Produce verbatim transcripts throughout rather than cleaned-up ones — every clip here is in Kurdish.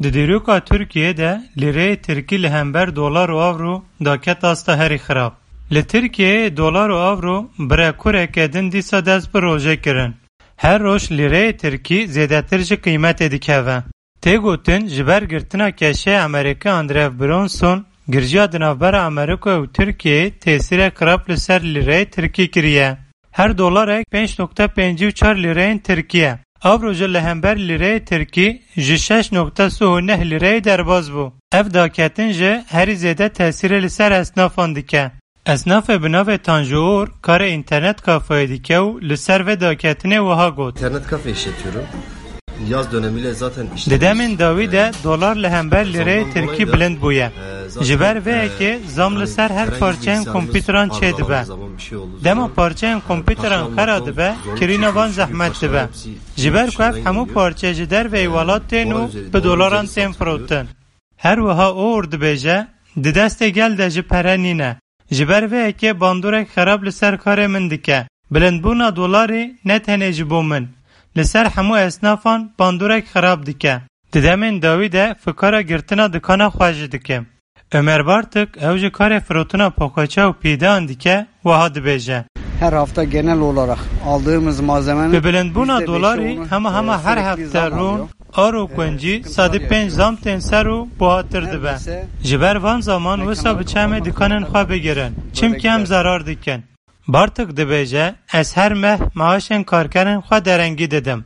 Di dîroka Tirkiyê de lîreyê tirkî li hember dolar û avro daket asta herî xirab. Li Tirkiyeyê dolar û avro bi rekoreke din dîsa dest bi rojê kirin. Her roj lîreyê tirkî zêdetir ji qîmetê dikeve. Tê gotin, ji ber girtina keşê Amerîkî Andrew Bronson, girjiya di navbera Amerîka û Tirkiyeyê tesîrek xirab li ser lîreyê tirkî kiriye. Her dolarek pênc nokta pêncî û çar lîreyên tirkî ye. Avro jî li hember lîreyê tirkî ji şeş nokta sih û neh lîreyê derbas bû. Ev daketin jî herî zêde tesîrê li ser esnafan dike. Esnafê bi navê Tanju Uğur karê înternet kafeyê dike û li ser vê daketinê wiha got. İnternet kafe işletiyorum. Yaz dönemiyle zaten Di işlerimiz, demên dawî de e, dolar li hember lîreyê zamdan tirkî dolayı da, bilind bûye. E, zaten, Ji ber vê e, yekê zam li hani ser her herhangi bir parçeyên bilgisayarımız kompîteran arızalandığı çêdibe. Zaman, bir şey olduğu Dema zaman, parçeyên e, kompîteran taşınma xera çok dibe, zor bir kirîna van şekilde, çünkü zehmet parçalar dibe. hepsi Ji ber ku ev hemû parçeyê ji derveyî welat tên û bi dolaran tên firotin. Her wiha Oğur dibêje, di destê gel de jî pere nîne. Ji ber vê yekê bandorek xerab li ser karê min dike. Bilindbûna dolarê ne tenê ji bo min, li ser hemû esnafan bandorek xerab dike. Di demên dawî de fikara girtina dikana xwe jî dike. Ömer Bartik, ew jî karê firotina poxaça û pîdeyan dike, wiha dibêje. Her hafta genel olarak aldığımız malzemenin Bi bilindbûna yüzde beşi dolarî onun, hema hema e, her sürekli hefte zam rûn alıyor. Aro kuncî sedî pênc zam tên ser û buhatir dibe. Ji ber van zaman wisa bi çemê dikanên xwe bigirin. Çimkî em zerar dikin. Bartik dibêje, ez her meh maaşên karkerên xwe derengî didim.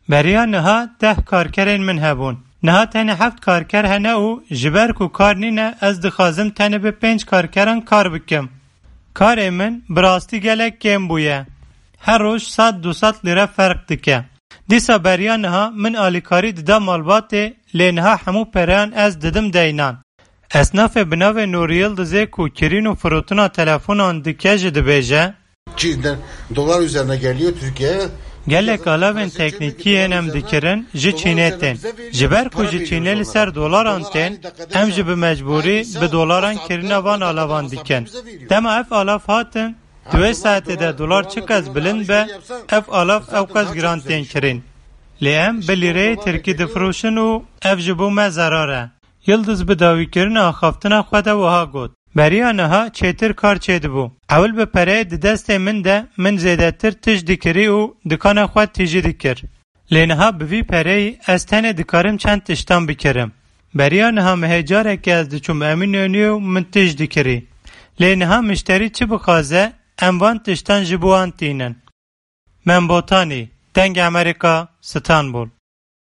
Beriya niha deh karkerên min hebûn. Niha tenê heft karker hene û ji ber ku kar nîne, ez dixwazim tenê bi pênc karkeran kar bikim. Karê min bi rastî gelek kêm bûye. Her roj sed du sed lîre ferq dike. Dîsa beriya niha min alîkarî dida malbatê, lê niha hemû pereyan ez didim deynan. Esnafê bi navê Nûrî Yildizê ku kirîn û firotina telefonan dike jî dibêje, Çin, dolar üzerine geliyor Türkiye'ye. Gelek alavên teknîkî yên em dikirin ji Çînê tên. Ji ber ku ji Çînê li ser dolaran tên, em jî bi mecbûrî bi dolaran kirîna van alavan dikin. Dema ev alav hatin, di wê saetê de dolar çiqas bilind be, ev alav ewqas giran tên kirîn. Lê em bi lîreyê tirkî difiroşin û ev ji bo me zerar e. Yildiz bi dawîkirina axaftina xwe de wiha got, Beriya niha çêtir kar çêdibû. Ewil bi pereyê di destê min de min zêdetir tişt dikirî û dikana xwe tîjî dikir. Lê niha bi vî pereyî ez tenê dikarim çend tiştan bikirim. Beriya niha mehê carekê ez diçûm Eminönüyê û min tişt dikirî. Lê niha mişterî çi bixwaze, em van tiştan ji bo wan tînin. Membotanî, Dengê Amerîka, Stenbol.